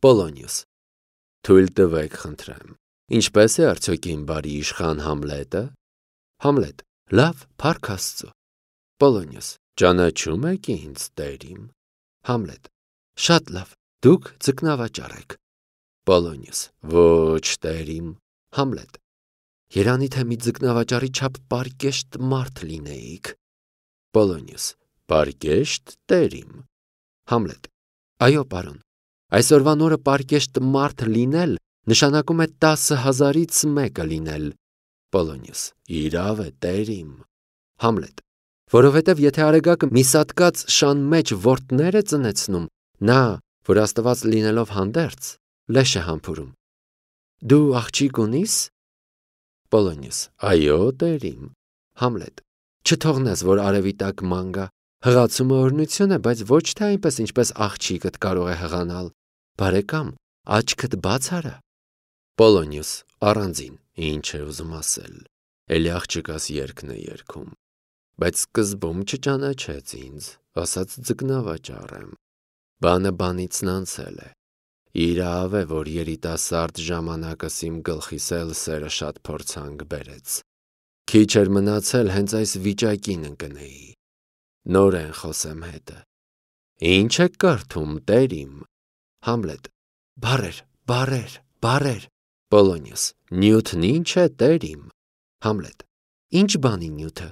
Պոլոնիոս. Թույլ տվեք, խնդրեմ, ինչպես է արդյոք իմ բարի իշխան Համլետը։ Համլետ. լավ, փառք Աստծո։ Պոլոնիոս. ճանաչում եք ինձ, տեր իմ։ Համլետ. շատ լավ, դուք ձկնավաճառ եք։ Պոլոնիոս. ոչ, տեր իմ։ Համլետ. երանի թե մի ձկնավաճառի չափ պարկեշտ մարդ լինեիք։ Պոլոնիոս. պարկեշտ, տեր իմ։ Համլետ. այո, պարոն, այսօրվան օրը պարկեշտ մարդ լինել նշանակում է 10,000-ից մեկը լինել։ Պոլոնիոս. իրավ է, տեր իմ։ Համլետ. որովհետև եթե արեգակը մի սատկած շան մեջ որդներ է ծնեցնում, նա, որ Աստված լինելով հանդերձ, լեշ է համբուրում։ Դու աղջիկ ունի՞ս։ Պոլոնիոս. այո, տեր իմ։ Համլետ. չթողնես, որ արևի տակ ման գա։ Հղացումը օրհնություն է, բայց ոչ թե այնպես, ինչպես աղջիկդ կարող է հղանալ։ Բարեկամ, աչքդ բաց արա։ Պոլոնիոս առանձին, ինչ է ուզում ասել։ Էլի աղջկաս երգն է երգում։ Բայց սկզբում չճանաչեց ինձ, ասաց ձկնավաճառ եմ։ Բանը բանիցն անցել է։ Իրավ է, որ երիտասարդ ժամանակս իմ գլխիս էլ սերը շատ փորձանք բերեց։ Քիչ էր մնացել հենց այս վիճակին ընկնեի։ Նորեն խոսեմ հետը։ Ինչ եք կարդում, տեր իմ։ Համլետ. բառեր, բառեր, բառեր։ Պոլոնիոս. նյութն ինչ է, տեր իմ։ Համլետ. ինչ բանի նյութը։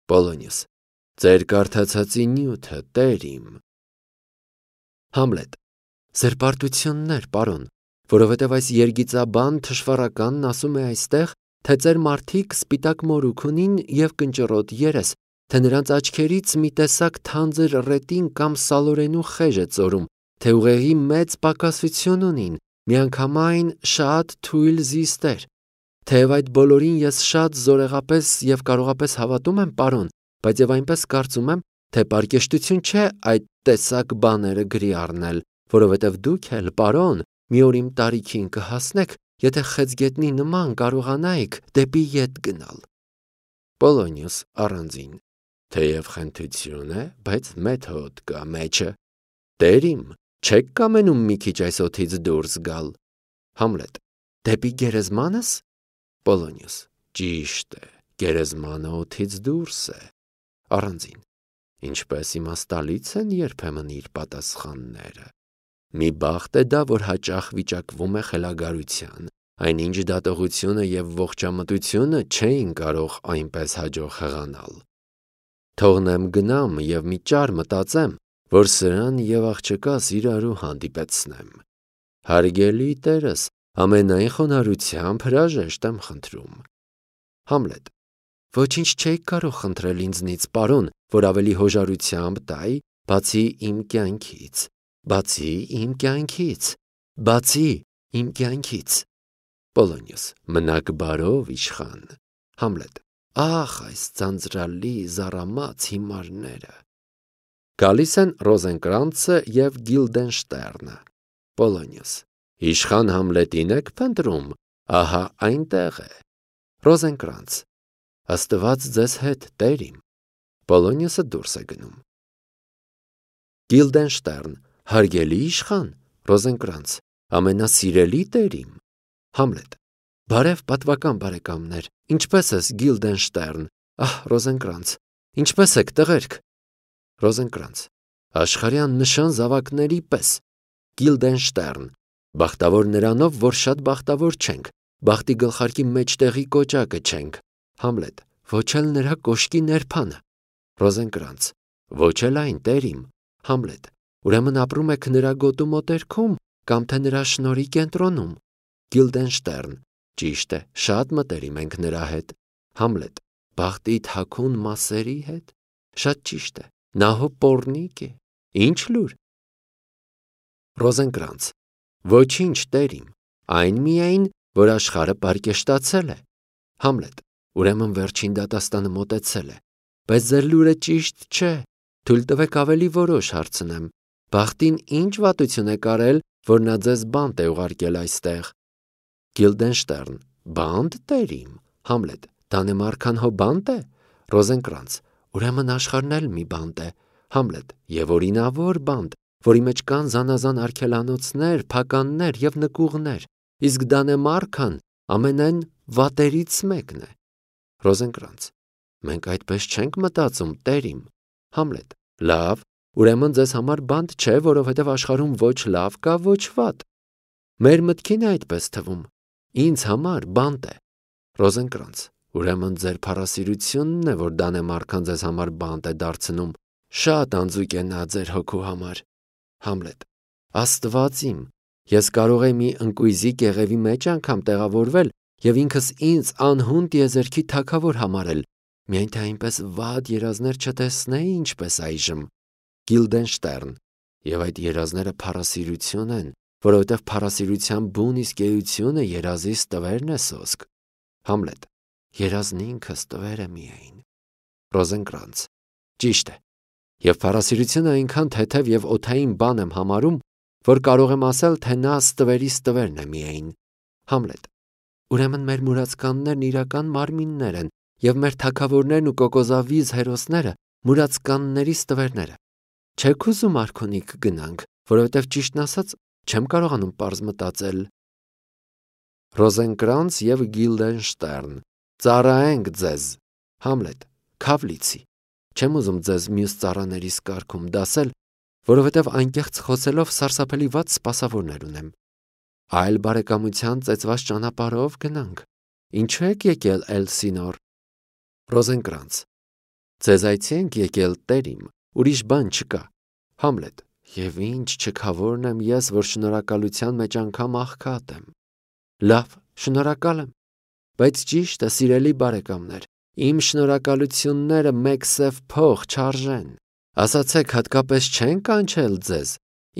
Պոլոնիոս. ձեր կարդացածի նյութը, տեր իմ։ Համլետ. ձեր պարտություններ, պարոն, որովհետև այս երգիծաբան թշվառականն ասում է այստեղ, թե ձեր մարդիկ սպիտակ մորուք ունին և կնճռոտ երես, թե նրանց աչքերից մի տեսակ թանձր ռետին կամ սալորենու խեժ է ծորում, թե ուղեղի մեծ պակասություն ունին, միանգամայն շատ թույլ զիստեր։ Թեև այդ բոլորին ես շատ զորեղապես և կարողապես հավատում եմ, պարոն, բայց և այնպես կարծում եմ, թե պարկեշտություն չէ այդ տեսակ բաները գրի առնել, որովհետև դուք էլ, պարոն, մի օր իմ տարիքին կհասնեք, եթե խեցգետնի նման կարողանայիք դեպի ետ գնալ։ Պոլոնիոս առանձին. թեև խենթություն է, բայց մեթոդ կա մեջը։ Տեր իմ, չեք կամենում մի քիչ այս օդից դուրս գալ։ Համլետ. դեպի գերեզմանս։ Պոլոնիոս. ճիշտ է, գերեզմանը օդից դուրս է։ Առանձին. ինչպես իմաստալից են երբեմն իր պատասխանները։ Մի բախտ է դա, որ հաճախ վիճակվում է խելագարության, այնինչ դատողությունը և ողջամտությունը չէին կարող այնպես հաջող հղանալ։ Թողնեմ գնամ և մի ճար մտածեմ, որ սրան և աղջկաս իրարու հանդիպեցնեմ։ Հարգելի տերս, ամենայն խոնարհությամբ հրաժեշտ եմ խնդրում։ Համլետ. ոչինչ չէիք կարող խնդրել ինձնից, պարոն, որ ավելի հոժարությամբ տայի, բացի իմ կյանքից, բացի իմ կյանքից, բացի իմ կյանքից։ Պոլոնիոս. մնաք բարով, իշխան։ Համլետ. ախ, այս ձանձրալի զառամաց հիմարները։ Գալիս են Ռոզենկրանցը և Գիլդենշտերնը։ Պոլոնիոս. իշխան Համլետին եք փնտրում, ահա այնտեղ է։ Ռոզենկրանց. Աստված ձեզ հետ, տեր իմ։ Պոլոնիոսը դուրս է գնում։ Գիլդենշտերն. հարգելի իշխան։ Ռոզենկրանց. ամենասիրելի տեր իմ։ Համլետ. բարև պատվական բարեկամներ, ինչպե՞ս ես, Գիլդենշտերն։ Ահ, Ռոզենկրանց, ինչպե՞ս եք, տղերք։ Ռոզենկրանց. աշխարհի աննշան զավակների պես։ Գիլդենշտերն. բախտավոր նրանով, որ շատ բախտավոր չենք, բախտի գլխարկի մեջտեղի կոճակը չենք։ Համլետ. ոչ էլ նրա կոշկի ներփանը։ Ռոզենկրանց. ոչ էլ այն, տեր իմ։ Համլետ. ուրեմն ապրում եք նրա գոտու մոտերքում կամ թե նրա շնորհի կենտրոնում։ Գիլդենշտերն. ճիշտ է, շատ մտերիմ ենք նրա հետ։ Համլետ. բախտի թաքուն մասերի հետ։ Շատ ճիշտ է, նա հո պոռնիկ է, ինչ լուր։ Ռոզենկրանց. ոչինչ, տեր իմ, այն միայն, որ աշխարհը պարկեշտացել է։ Համլետ. ուրեմն վերջին դատաստանը մոտեցել է, բայց ձեր լուրը ճիշտ չէ, թույլ տվեք ավելի որոշ հարցնեմ։ Բախտին ինչ վատություն է կարել, որ նա ձեզ բանտ է ուղարկել այստեղ։ Գիլդենշտերն. բանտ, տեր իմ։ Համլետ. Դանեմարքան հո բանտ է։ Ռոզենկրանց. ուրեմն աշխարհն էլ մի բանտ է։ Համլետ. եւ օրինավոր բանտ, որի մեջ կան զանազան արգելանոցներ, փականներ և նկուղներ, իսկ Դանեմարքան ամենայն վատերից մեկն է։ Ռոզենկրանց. Մենք այդպես չենք մտածում, տերիմ։ Համլետ. Լավ, ուրեմն ձեզ համար բանտ չէ, որովհետև աշխարհում ոչ լավ կա, ոչ վատ։ Մեր մտքին է այդպես թվում։ Ինձ համար բանտ է։ Ռոզենկրանց. Ուրեմն ձեր փառասիրությունն է, որ Դանեմարքան ձեզ համար բանտ է դարձնում։ Շատ անձուկ է նա ձեր հոգու համար։ Համլետ. Աստված իմ, ես կարող եմ մի ընկույզի կեղևի մեջ անգամ տեղավորվել և ինքս ինձ անհուն տիեզերքի թագավոր համարել, միայն թե այնպես վատ երազներ չտեսնեի, ինչպես այժմ։ Գիլդենշտերն. Եվ այդ երազները փառասիրություն են, որովհետև փառասիրության բուն իսկ էությունը երազիս տվերն է սոսկ։ Համլետ. Երազն ինքը ստվեր է միայն։ Ռոզենկրանց. Ճիշտ է։ Եվ փառասիրությունը այնքան թեթև և օդային բան եմ համարում, որ կարող եմ ասել, թե նա ստվերի ստվերն է միայն։ Համլետ. Ուրեմն մեր մուրացկաններն իրական մարմիններ են, և մեր թագավորներն ու կոկոզավիզ հերոսները մուրացկանների ստվերները։ Չեք ուզում արքունիք գնանք, որովհետև ճիշտն ասած չեմ կարողանում պարզ մտածել։ Ռոզենկրանց և Գիլդենշտերն. Ծառայենք ձեզ։ Համլետ. Քավլիցի. Չեմ ուզում ձեզ մյուս ծառաներիս կարգում դասել, որովհետև անկեղծ խոսելով սարսափելի վատ սպասավորներ ունեմ։ Այլ բարեկամության ծեծված ճանապարհով գնանք։ Ինչու եք եկել Էլսինոր։ Ռոզենկրանց. Ձեզ այցի ենք եկել, տերիմ, ուրիշ բան չկա։ Համլետ. Եվ ինչ չքավորն եմ ես, որ շնորհակալության մեջ անգամ աղքատ եմ։ Լավ, շնորհակալ եմ, բայց ճիշտ է, սիրելի բարեկամներ, իմ շնորհակալությունները մեկ սև փող չարժեն։ Ասացեք, հատկապես չեն կանչել ձեզ,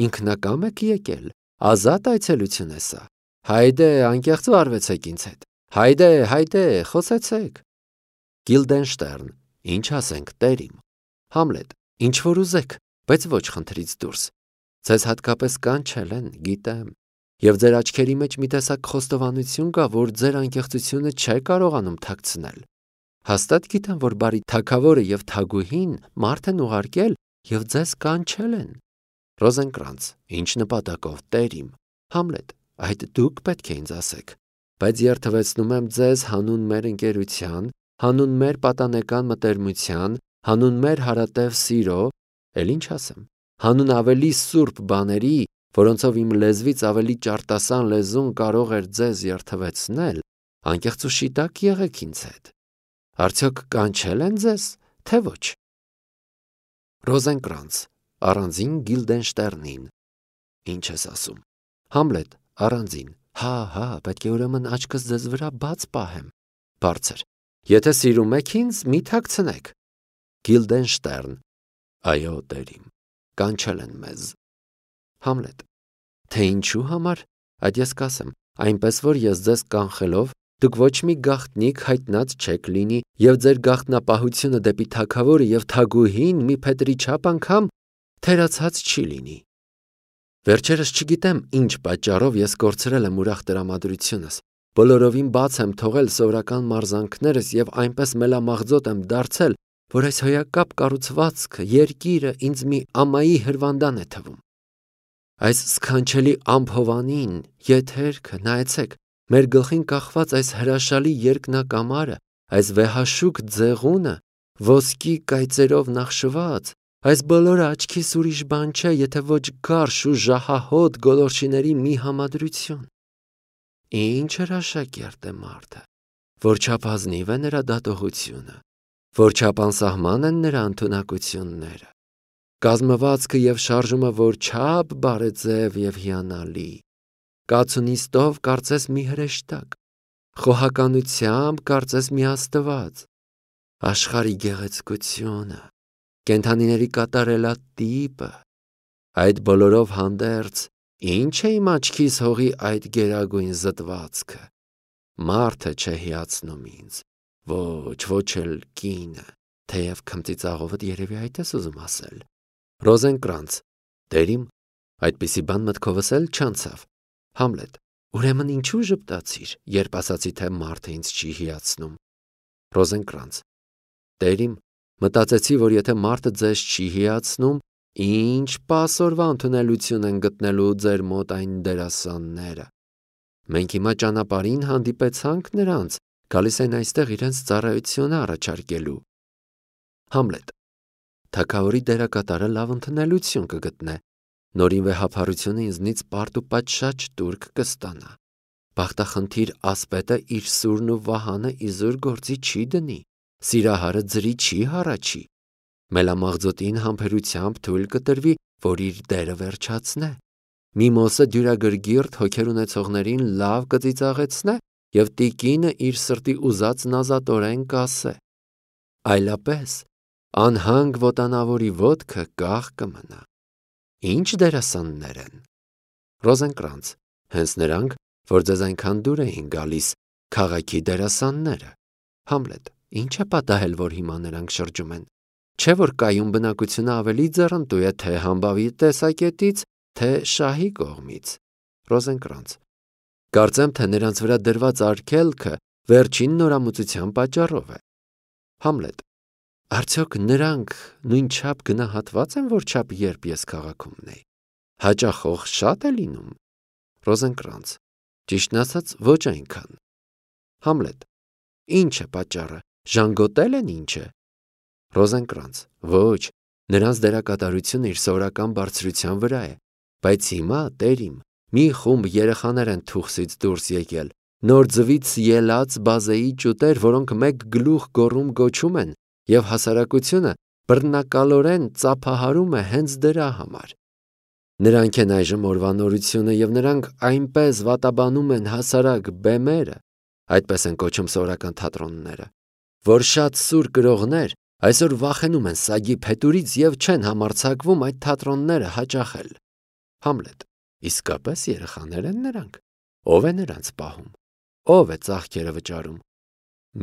ինքնակամ եք եկել, ազատ այցելություն է սա։ Հայդե, անկեղծ վարվեցեք ինձ հետ։ Հայդե, խոսեցեք։ Գիլդենշտերն. Ինչ ասենք, տերիմ։ Համլետ. Ինչ որ ուզեք, բայց ոչ խնդրից դուրս։ Ձեզ հատկապես կանչել են, գիտեմ, և ձեր աչքերի մեջ մի տեսակ խոստովանություն կա, որ ձեր անկեղծությունը չէ կարողանում թաքցնել։ Հաստատ գիտեմ, որ բարի թագավորը և թագուհին մարդ են ուղարկել և ձեզ կանչել են։ Ռոզենկրանց. Ինչ նպատակով, տերիմ։ Համլետ. Այդ դուք պետք է ինձ ասեք, բայց երդվեցնում եմ ձեզ հանուն մեր ընկերության, հանուն մեր պատանեկան մտերմության, հանուն մեր հարատև սիրո, էլ ինչ ասեմ, հանուն ավելի սուրբ բաների, որոնցով իմ լեզվից ավելի ճարտասան լեզուն կարող էր ձեզ երդվեցնել, անկեղծ ու շիտակ եղեք ինձ հետ։ Արդյոք կանչել են ձեզ, թե ոչ։ Ռոզենկրանց. Առանձին Գիլդենշտերնին. Ինչ ես ասում։ Համլետ. Առանձին. Հա, պետք է ուրեմն աչքս ձեզ վրա բաց պահեմ։ Բարձր. Եթե սիրում եք ինձ, մի թաքցնեք։ Գիլդենշտերն. Այո, տերիմ, կանչել են մեզ։ Համլետ. Թե ինչու համար, այդ ես կասեմ, այնպես որ ես ձեզ կանխելով, դուք ոչ մի գաղտնիք հայտնած չեք լինի, և ձեր գաղտնապահությունը դեպի թագավորը և թագուհին մի փետրի չափ անգամ թերացած չի լինի։ Վերջերս չգիտեմ ինչ պատճառով ես կորցրել եմ ուրախ տրամադրությունս, բոլորովին բաց եմ թողել սովորական մարզանքներս և այնպես մելամաղձոտ եմ դարձել, որ այս հոյակապ կառուցվածքը, երկիրը ինձ մի ամայի հրվանդան է թվում։ Այս սքանչելի ամփովանին, եթերքը, նայեցեք, մեր գլխին կախված այս հրաշալի երկնակամարը, այս վեհաշուք ձեղունը, ոսկի կայծերով նախշված, այս բոլորը աչքիս ուրիշ բան չէ, եթե ոչ գարշ ու ժահահոտ գոլորշիների մի համադրություն։ Ինչ հրաշագերտ է մարդը, որչափ ազնիվ է նրա դատողությունը, որչափ անսահման են նրա ընդունակությունները, կազմվածքը և շարժումը որչափ բարեձև և հիանալի, կացունիստով կարծես մի հրեշտակ, խոհականությամբ կարծես մի աստված, աշխարհի գեղեցկությունը, կենդանիների կատարելատիպը, այդ բոլորով հանդերձ, ինչ է իմ աչքիս հողի այդ գերագույն զտվածքը, մարդը չէ հիացնում ինձ, ոչ էլ կինը, թեև քմծիծաղովդ երևի այդ ես ուզում ասել։ Ռոզենկրանց. Տերիմ, այդպիսի բան մտքովս էլ չանցավ։ Համլետ. Ուրեմն ինչու ժպտացիր, երբ ասացի, թե մարդը ինձ չի հիացնում։ Ռոզենկրանց. Տերիմ, մտածեցի, որ եթե մարդը ձեզ չի հիացնում, Ինչ պասորվա ընդունելություն են գտնելու ձեր մոտ այն դերասանները։ Մենք հիմա ճանապարհին հանդիպեցանք նրանց, գալիս են այստեղ իրենց ծառայությունը առաջարկելու։ Համլետ. Թագավորի դերակատարը լավ ընդունելություն կգտնե։ Նորին վեհափառությունը ինձնից պարտ ու պատշաճ տուրք կստանա։ Բախտախնդիր ասպետը իր սուրն ու վահանը իզուր գործի չի դնի, սիրահարը ձրի չի հառաչի։ Մելամաղձոտին համբերությամբ թույլ կտրվի, որ իր դերը վերջացնե։ Միմոսը դյուրագրգիռ հոգեր ունեցողներին լավ կծիծաղեցնե և տիկինը իր սրտի ուզած նազատորեն կասե։ Այլապես անհանգ ոտանավորի ոտքը կախ կմնա։ Ինչ դերասաններ են։ Ռոզենկրանց. հենց նրանք, որ ձեզ այնքան դուր էին գալիս, քաղաքի դերասանները։ Համլետ. ինչ է պատահել, որ հիմա նրանք շրջում են։ Չէ՞ որ կայուն բնակությունը ավելի ձեռնտու է թե համբավի տեսակետից, թե շահի կողմից։ Ռոզենկրանց. կարծեմ, թե նրանց վրա դրված արգելքը վերջին նորամուծության պատճառով է։ Համլետ. արդյոք նրանք նույնչափ գնահատված են, որչափ երբ ես քաղաքում էի։ Հաճախող շատ է լինում։ Ռոզենկրանց. ճիշտն ասած, ոչ այնքան։ Համլետ. ինչ է պատճառը, ժանգոտել են ինչ է։ Ռոզենկրանց. ոչ, նրանց դերակատարությունը իր սովորական բարձրության վրա է, բայց հիմա, տեր իմ, մի խումբ երեխաներ են թուխսից դուրս եկել, նոր ձվից ելած բազեի ճուտեր, որոնք մեկ գլուխ գոռում գոչում են, և հասարակությունը բռնակալորեն ծափահարում է հենց դրա համար։ Նրանք են այժմ օրվա նորությունը և նրանք այնպես վատաբանում են հասարակ բեմերը, այդպես են կոչում սովորական թատրոնները, որ շատ սուր կրողներ այսօր վախենում են սագի փետուրից և չեն համարձակվում այդ թատրոնները հաճախել։ Համլետ. իսկապես երեխաներ են նրանք։ Ով է նրանց պահում։ Ով է ծախքերը վճարում։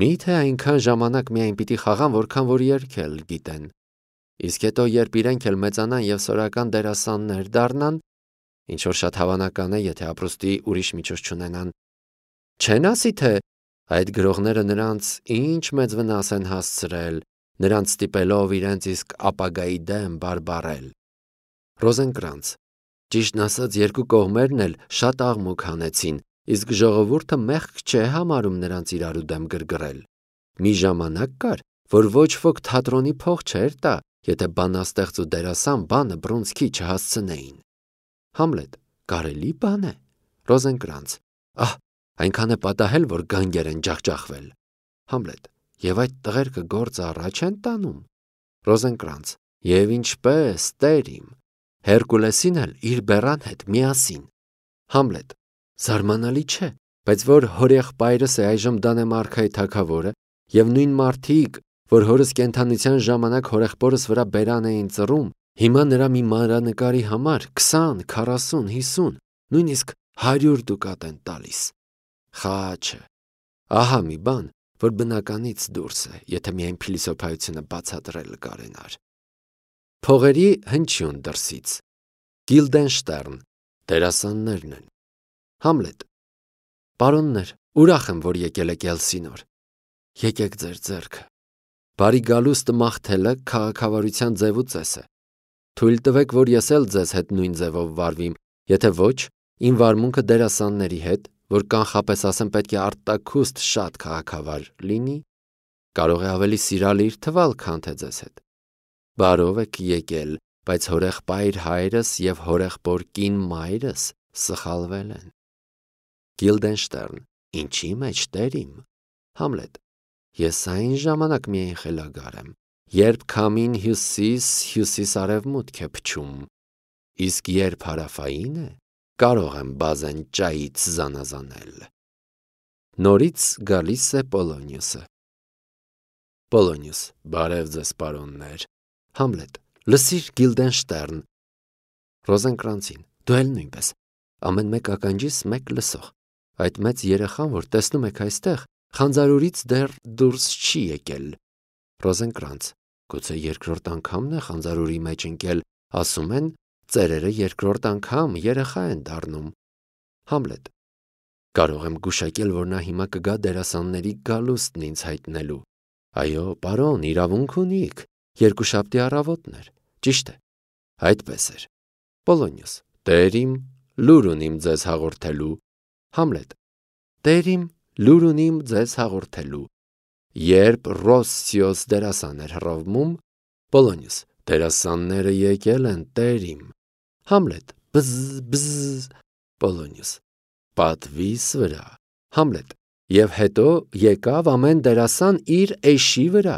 Միթե այնքան ժամանակ միայն պիտի խաղան, որքան որ երգել գիտեն։ Իսկ հետո, երբ իրենք էլ մեծանան և սովորական դերասաններ դառնան, ինչ որ շատ հավանական է, եթե ապրուստի ուրիշ միջոց չունենան, չեն ասի, թե այդ գրողները նրանց ինչ մեծ վնաս են հասցրել, նրանց ստիպելով իրենց իսկ ապագայի դեմ բարբառել։ Ռոզենկրանց. ճիշտն ասած, երկու կողմերն էլ շատ աղմուկ հանեցին, իսկ ժողովուրդը մեղք չէ համարում նրանց իրարու դեմ գրգռել։ Մի ժամանակ կար, որ ոչ ոք թատրոնի փող չէր տա, եթե բանաստեղծ ու դերասան բանը բռունցքի չհասցնեին։ Համլետ. կարելի բան է։ Ռոզենկրանց. ահ, այնքան է պատահել, որ գանգեր են ջախջախվել։ Համլետ. և այդ տղերքը գործը առաջ են տանում։ Ռոզենկրանց. և ինչպես, տեր իմ, Հերկուլեսին էլ իր բեռան հետ միասին։ Համլետ. զարմանալի չէ, բայց որ հորեղբայրս է այժմ Դանեմարքայի թագավորը, և նույն մարդիկ, որ հորս կենդանության ժամանակ հորեղբորս վրա բերան էին ծռում, հիմա նրա մի մանրանկարի համար 20, 40, 50, նույնիսկ 100 դուկատ են տալիս։ Խաչը։ Ահա մի բան, որ բնականից դուրս է, եթե միայն փիլիսոփայությունը բացատրել կարենար։ Փողերի հնչյուն դրսից։ Գիլդենշտերն. դերասաններն են։ Համլետ. պարոններ, ուրախ եմ, որ եկել եք Էլսինոր։ Եկեք ձեր ձեռքը։ Բարի գալուստը մաղթելը քաղաքավարության ձև ու ծես է։ Թույլ տվեք, որ ես էլ ձեզ հետ նույն ձևով վարվիմ, եթե ոչ, իմ վարմունքը դերասանների հետ, որ կանխապես ասեմ պետք է արտաքուստ շատ քաղաքավար լինի, կարող է ավելի սիրալիր թվալ, քան թե ձեզ հետ։ Բարով եք եկել, բայց հորեղբայր հայրս և հորեղբոր կին մայրս սխալվել են։ Գիլդենշտերն. ինչի մեջ, տեր իմ։ Համլետ. ես այն ժամանակ միայն խելագար եմ, երբ քամին հյուսիս-արևմուտք է փչում, իսկ երբ հարավային է, կարող եմ բազեն ճայից զանազանել։ Նորից գալիս է Պոլոնիուսը։ Պոլոնիուս. բարև ձեզ, պարոններ։ Համլետ. լսիր Գիլդենշտերն։ Ռոզենկրանցին. դու էլ նույնպես։ Ամեն մեկ ականջիս մեկ լսող։ Այդ մեծ երեխան, որ տեսնում եք այստեղ, խանձարուրից դեռ դուրս չի եկել։ Ռոզենկրանց. գուցե երկրորդ անգամն է խանձարուրի մեջ ընկել, ասում են, ծերերը երկրորդ անգամ երեխա են դառնում։ Համլետ. կարող եմ գուշակել, որ նա հիմա կգա դերասանների գալուստն ինձ հայտնելու։ Այո, պարոն, իրավունք ունիք, երկուշաբթի առավոտն էր, ճիշտ է։ Այդպես էր։ Պոլոնիոս. Տեր իմ, լուր ունիմ ձեզ հաղորդելու։ Համլետ. Տեր իմ, լուր ունիմ ձեզ հաղորդելու։ Երբ Ռոսսիոս դերասան էր հռովմում, Պոլոնիոս. Դերասանները եկել են, տեր իմ։ Համլետ. բզ բզ։ Պոլոնիոս. Պատվիս վրա։ Համլետ. Եվ հետո եկավ ամեն դերասան իր էշի վրա։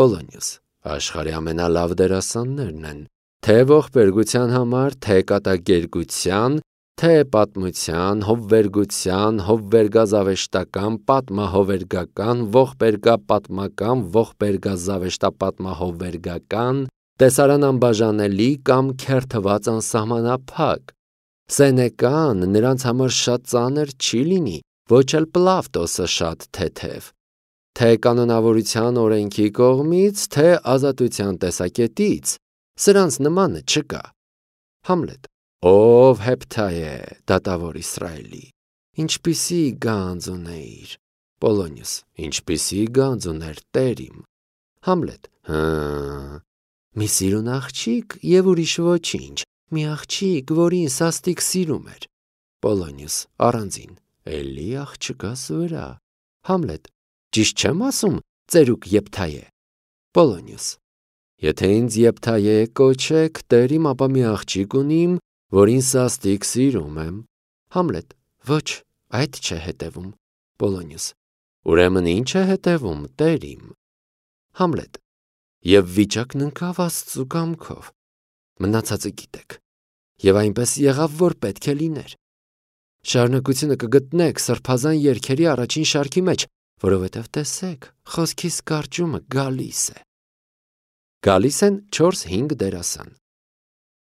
Պոլոնիոս. Աշխարհի ամենալավ դերասաններն են, թե ողբերգության համար, թե կատակերգության, թե պատմության, հովվերգության, հովվերգազավեշտական, պատմահովվերգական, ողբերգապատմական, ողբերգազավեշտապատմահովվերգական, տեսարան անբաժանելի կամ քերթված անսահմանափակ։ Սենեկան նրանց համար շատ ծանր չի լինի, ոչ էլ Պլավտոսը շատ թեթև, թե կանոնավորության օրենքի կողմից, թե ազատության տեսակետից, սրանց նմանը չկա։ Համլետ. Ով Հեպթայե, դատավոր Իսրայելի, ինչպիսի գանձ ունեիր։ Պոլոնիոս. ինչպիսի գանձ ուներ տեր իմ։ Համլետ. մի սիրուն աղջիկ և ուրիշ ոչինչ, մի աղջիկ, որին սաստիկ սիրում էր։ Պոլոնիոս. առանձին, էլի աղջկաս վրա։ Համլետ. ճիշտ չեմ ասում, ծերուկ Եփթայե։ Պոլոնիոս. եթե ինձ Եփթայե կոչեք, տեր իմ, ապա մի աղջիկ ունիմ, որին սաստիկ սիրում եմ։ Համլետ. ոչ, այդ չէ հետևում։ Պոլոնիոս. ուրեմն ինչ է հետևում, տեր իմ։ Համլետ. և վիճակն ընկավ Աստծու կամքով։ Մնացածը գիտեք։ Եվ այնպես եղավ, որ պետք է լիներ։ Շարունակությունը կգտնեք սրբազան երգերի առաջին շարքի մեջ, որովհետև տեսեք, խոսքիս կարճումը գալիս է։ Գալիս են 4-5 դերասան։